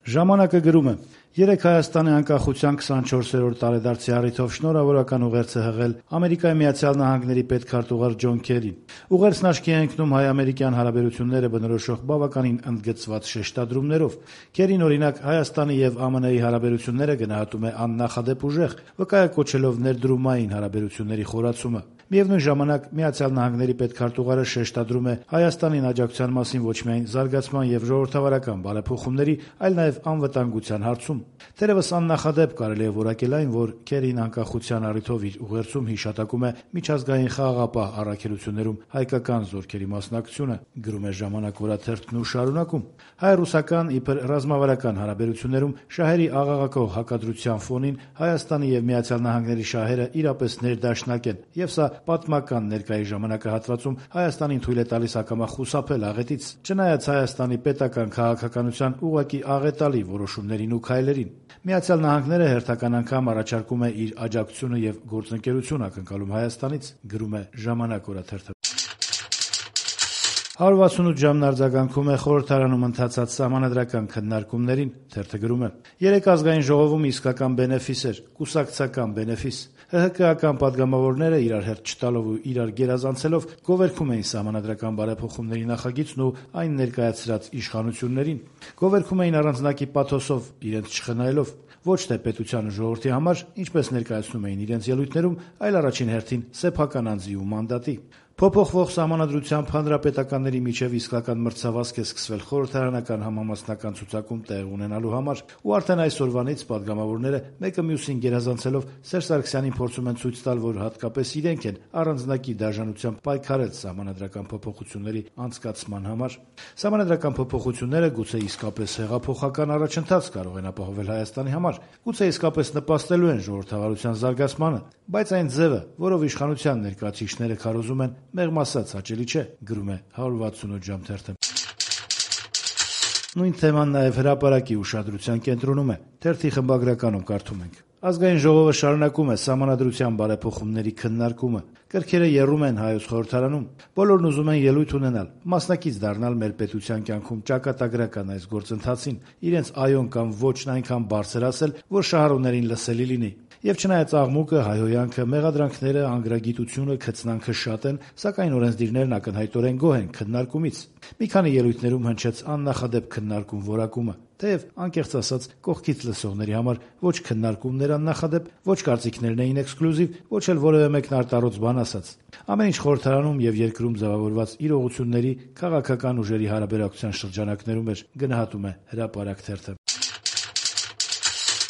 Ժամանակը գրում է. երեկ Հայաստանի անկախության 24-րդ տարեդարձի առիթով շնորհավորական ուղերձ է հղել Ամերիկայի Միացյալ Նահանգների պետքարտուղար Ջոն Քերին։ Ուղերձն աչքի է ընկնում հայ-ամերիկյան հարաբերությունները բնորոշող բավականին ընդգծված շեշտադրումներով։ Քերին, օրինակ, Հայաստանի եւ ԱՄՆ-ի հարաբերությունները գնահատում է աննախադեպ ուժեղ, վկայակոչելով ներդրումային հարաբերությունների խորացումը։ Միևնույն ժամանակ Միացյալ Նահանգների պետքարտուղարը շեշտադրում է Հայաստանին աջակցության մասին ոչ միայն զարգացման եւ ժողովրդավարական բարեփոխումների, այլ նաեւ անվտանգության հարցում։ Թերևս աննախադեպ կարելի է որակել այն, որ Քերին անկախության առիթով իր ուղերձում հիշատակում է միջազգային խաղաղապահ առաքելություններում հայկական զորքերի մասնակցությունը, գրում է «Ժամանակ» օրաթերթն ու շարունակում. հայ-ռուսական իբր ռազմավարական հարաբերություններում շահերի աղաղակող հակադրության ֆոնին Հայաստանի եւ Միացյալ Նահանգների շահերը իրապես ներդաշնակ են, եւ սա պատմական ներկայի ժամանակահատվածում Հայաստանին թույլ է տալիս ակամա խուսափել աղետից, չնայած Հայաստանի պետական քաղաքականության ուղղակի աղետալի որոշումներին ու քայլերին։ Միացյալ Նահանգները հերթական անգամ առաջարկում է իր աջակցությունը եւ գործընկերություն ակնկալում Հայաստանից, գրում է «Ժամանակ» օրաթերթը։ 168 ժամն արձագանքում է խորհրդարանում ընթացած սահմանադրական քննարկումներին, թերթը գրում է. երեկ ազգային ժողովում իսկական բենեֆիս էր, կուսակցական բենեֆիս։ ՀՀԿ-ական падգամավորները իրար հերթ չտալով ու իրար գերազանցելով գովերգում էին սահմանադրական բարեփոխումների նախագիծն ու այն ներկայացրած իշխանություններին։ Գովերգում էին առանձնակի պաթոսով, իրենց չխնայելով, ոչ թե պետության ու ժողովրդի համար, ինչպես ներկայացնում էին իրենց ելույթներում, այլ առաջին հերթին սեփական անձի ու մանդատի։ Փոփոխվող սահմանադրությամբ հանրապետականների միջև իսկական մրցավազք է սկսվել խորհրդարանական համամասնական ցուցակում տեղ ունենալու համար, ու արդեն այսօրվանից падգամավորները մեկը մյուսին գերազանցելով Սերժ Սարգսյանին փորձում են ցույց տալ, որ հատկապես իրենք են առանձնակի դաշնությամբ պայքարել սահմանադրական փոփոխությունների անցկացման համար։ Սահմանադրական փոփոխությունները գուցե իսկապես հեղափոխական առաջընթաց կարող են ապահովել Հայաստանի համար, գուցե իսկապես նպաստելու են ժողովրդավարության զարգացմանը, բայց այն ձևը, որով իշխանության ներկայացուցիչները քարոզում են, մեղմ ասած հաճելի չէ, գրում է 168 ժամ թերթը։ Նույն թեման նաև հրապարակի ուշադրության կենտրոնում է, թերթի խմբագրականում կարդում ենք. Ազգային ժողովը շարունակում է սահմանադրության բարեփոխումների քննարկումը։ Կրքերը եռում են Հայոց խորհրդարանում։ Բոլորն ուզում են ելույթ ունենալ, մասնակից դառնալ մեր պետության կյանքում ճակատագրական այս գործընթացին, իրենց այոն կամ ոչն այնքան բարձր ասել, որ շահառուներին լսելի լինի։ Եվ չնայած աղմուկը, հայհոյանքը, մեղադրանքները, անգրագիտությունը, քծնանքը շատ են, սակայն օրենսդիրներն ակնհայտորեն գոհ են քննարկումից։ Մի քանի ելույթներում հնչեց աննախադեպ քննարկում որակումը, թեև անկեղծ ասած կողքից լսողների համար ոչ քննարկումներ աննախադեպ, ոչ կարծիքներն էին էքսկլյուզիվ, ոչ էլ որևէ մեկն արտառոց բան ասաց։ Ամեն ինչ խորհրդարանում եւ երկրում ձևավորված իրողությունների քաղաքական ուժերի հարաբերակցության շրջանակներում էր, գնահատում է հրապարակ թերթը։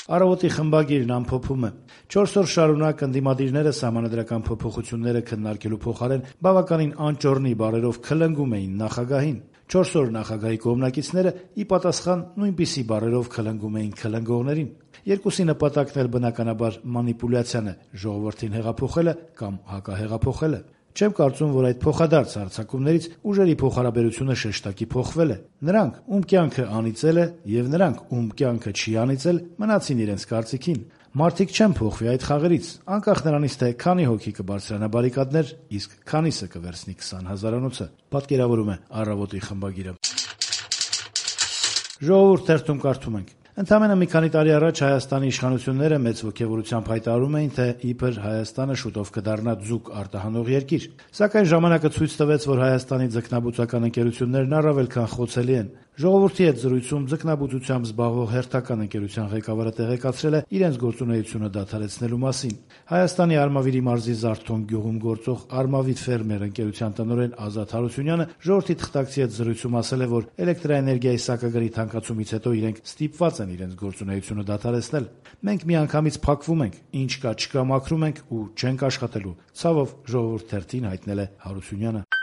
Առավոտի խմբագիրն ամփոփում է. 4 օր շարունակ ընդդիմադիրները սահմանադրական փոփոխությունները քննարկելու փոխարեն բավականին անճոռնի բառերով քլնգում էին նախագահին։ 4 օր նախագահի կողմնակիցները ի պատասխան նույնպիսի բառերով քլնգում էին քլնգողներին։ Երկուսի նպատակն էլ բնականաբար մանիպուլյացիան է, ժողովրդին հեղափոխելը կամ հակահեղափոխելը։ Չեմ կարծում, որ այդ փոխադարձ հարձակումներից ուժերի փոխհարաբերությունը շեշտակի փոխվել է։ Նրանք, ում կյանքը անիծել է, եւ նրանք, ում կյանքը չի անիծել, մնացին իրենց կարծիքին։ Մարդիկ չեն փոխվի այդ խաղերից, անկախ նրանից, թե քանի հոգի կբարձրանա բարիկադներ, իսկ քանիսը կվերցնի 20 հազարանոցը, պատկերավորում է Առավոտի խմբագիրը։ Ժողովուրդ թերթում կարդում ենք. Ընդամենը մի քանի տարի առաջ Հայաստանի իշխանությունները մեծ ոգևորությամբ հայտարարում էին, թե իբր Հայաստանը շուտով կդառնա ձուկ արտահանող երկիր, սակայն ժամանակը ցույց տվեց, որ Հայաստանի ձկնաբուծական ընկերություններն առավել քան խոցելի են։ Ժողովրդի հետ զրույցում ձկնաբուծությամբ զբաղվող հերթական ընկերության ղեկավարը տեղեկացրել է իրենց գործունեությունը դադարեցնելու մասին։ Հայաստանի Արմավիրի մարզի Զարթոն գյուղում գործող Արմավիտ ֆերմեր ընկերության տնօրեն Ազատ Հարությունյանը ժողովրդի թղթակցի հետ զրույցում ասել է, որ էլեկտրաէներգիայի սակագների թանկացումից հետո իրենք ստիպված են իրենց գործունեությունը դադարեցնել։ Մենք միանգամից փակվում ենք, ինչ կա չկա մաքրում ենք ու չենք աշխատելու, ցավով ժողովուրդ թերթին հայտնել է Հարությունյանը։